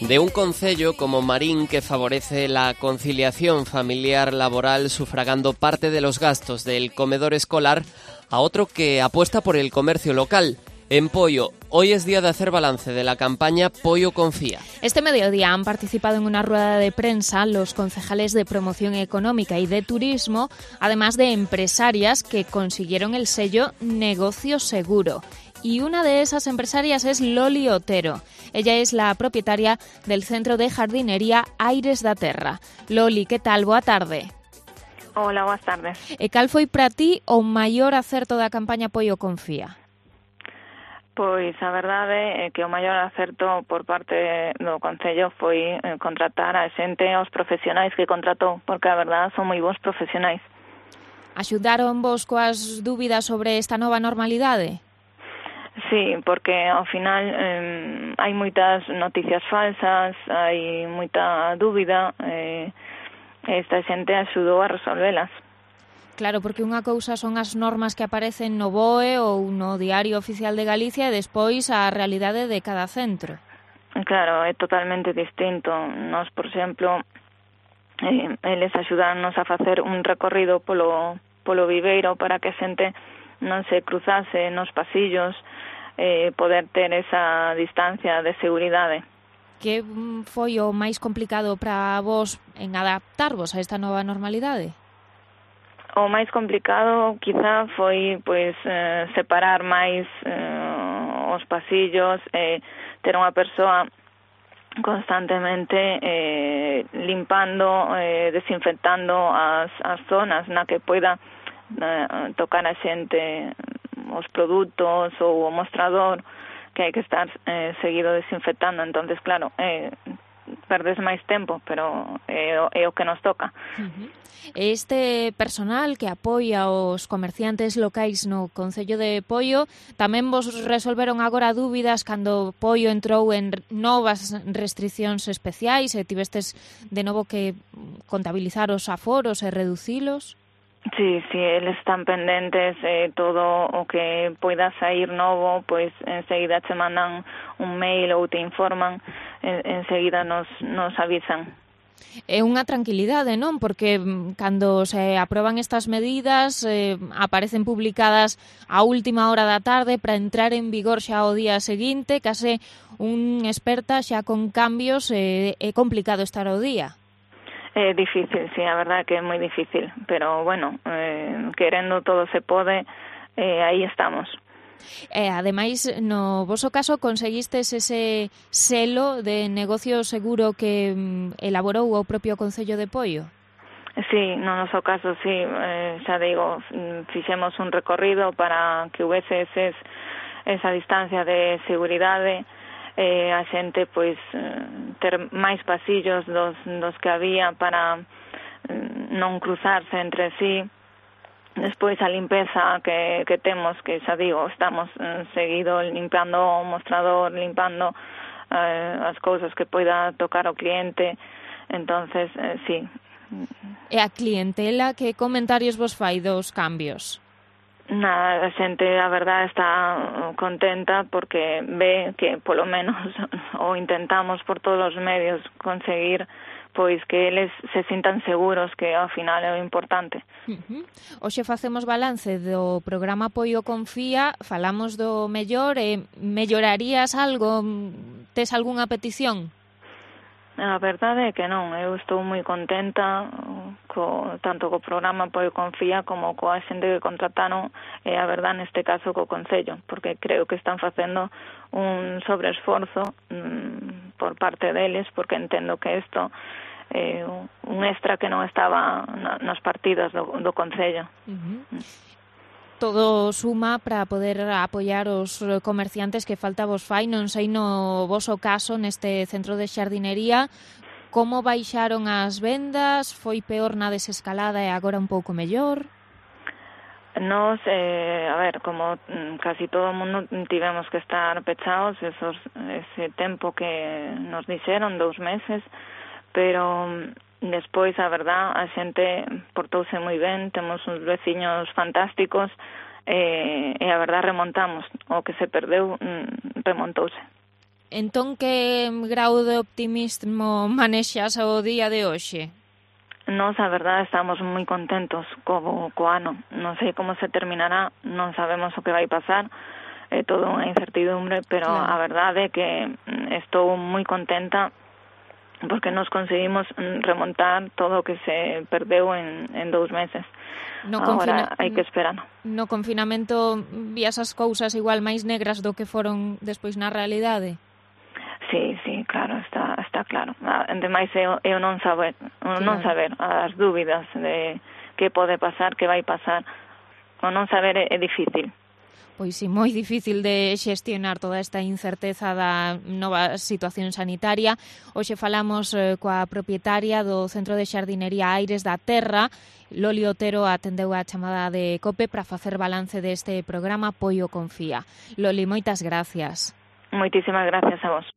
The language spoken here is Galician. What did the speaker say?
De un concello como Marín que favorece la conciliación familiar-laboral sufragando parte de los gastos del comedor escolar a otro que apuesta por el comercio local. En Poio, hoy es día de hacer balance de la campaña Poio Confía. Este mediodía han participado en una rueda de prensa los concejales de Promoción Económica y de Turismo, además de empresarias que consiguieron el sello Negocio Seguro. Y una de esas empresarias es Loli Otero. Ella es la propietaria del centro de jardinería Aires da Terra. Loli, que tal? Boa tarde. Hola, boas tardes. E cal foi para ti o maior acerto da campaña Poio Confía? Pois a verdade é que o maior acerto por parte do Concello foi contratar a xente, aos profesionais que contratou, porque a verdade son moi bons profesionais. Axudaron vos coas dúbidas sobre esta nova normalidade? Sí, porque ao final hai moitas noticias falsas, hai moita dúbida, esta xente axudou a resolvelas. Claro, porque unha cousa son as normas que aparecen no BOE ou no Diario Oficial de Galicia e despois a realidade de cada centro. Claro, é totalmente distinto. Nos, por exemplo, eles axudaronnos a facer un recorrido polo viveiro para que a xente non se cruzase nos pasillos, poder ter esa distancia de seguridade. Que foi o máis complicado para vos en adaptarvos a esta nova normalidade? O máis complicado quizá foi separar máis os pasillos, ter unha persoa constantemente limpando, desinfectando as zonas na que poida tocar a xente os produtos ou o mostrador, que hai que estar seguido desinfectando. Entonces, claro, perdes máis tempo, pero é o que nos toca. Este personal que apoia os comerciantes locais no Concello de Poio tamén vos resolveron agora dúbidas cando Poio entrou en novas restriccións especiais e tivestes de novo que contabilizar os aforos e reducilos? Sí, eles están pendentes, todo o que poida sair novo, pois enseguida che mandan un mail ou te informan, enseguida nos avisan. É unha tranquilidade, non? Porque cando se aproban estas medidas aparecen publicadas a última hora da tarde para entrar en vigor xa o día seguinte, case un experta xa con cambios, é complicado estar ao día. É difícil, sí, a verdade que é moi difícil, pero bueno, querendo todo se pode, aí estamos. Ademais, no voso caso, conseguistes ese selo de negocio seguro que elaborou o propio Concello de Poio? Sí, no noso caso, sí, xa digo, fixemos un recorrido para que houvese esa distancia de seguridade, a xente pois ter máis pasillos dos que había para non cruzarse entre sí. Despois a limpeza que temos, que xa digo, estamos seguido limpando o mostrador, limpando as cousas que poida tocar o cliente. Entonces, sí. E a clientela, que comentarios vos fai dos cambios? Nada, a xente, a verdade, está contenta porque ve que, polo menos, o intentamos por todos os medios conseguir pois que eles se sintan seguros, que ao final é o importante. Hoxe facemos balance do programa Poio Confía, falamos do mellor, mellorarías algo? Tes algunha petición? A verdade é que non, eu estou moi contenta tanto co programa Poio Confía como coa xente que contrataron, a verdade neste caso co Concello, porque creo que están facendo un sobreesforzo por parte deles, porque entendo que isto é un extra que non estaba nos partidos do Concello. Todo suma para poder apoiar os comerciantes que falta vos fai. Non sei no voso caso neste centro de xardinería como baixaron as vendas, foi peor na desescalada e agora un pouco mellor? Nos, a ver, como casi todo o mundo tivemos que estar pechados ese tempo que nos dixeron, 2 meses, pero despois, a verdad, a xente portouse moi ben, temos uns veciños fantásticos, e a verdad remontamos, o que se perdeu remontouse. Entón, que grau de optimismo manexas o día de hoxe? Nos, a verdade, estamos moi contentos co ano. Non sei como se terminará, non sabemos o que vai pasar, é todo unha incertidumbre, pero claro, a verdade é que estou moi contenta porque nos conseguimos remontar todo o que se perdeu en 2 meses. Agora hai que esperar. No confinamento vías as cousas igual máis negras do que foron despois na realidade? Sí, claro, está claro. Ademais, eu non saber, as dúbidas de que pode pasar, que vai pasar, o non saber é difícil. Pois sí, moi difícil de xestionar toda esta incerteza da nova situación sanitaria. Hoxe falamos coa propietaria do Centro de Xardinería Aires da Terra. Loli Otero atendeu a chamada de COPE para facer balance deste programa Apoio Confía. Loli, moitas gracias. Moitísimas gracias a vos.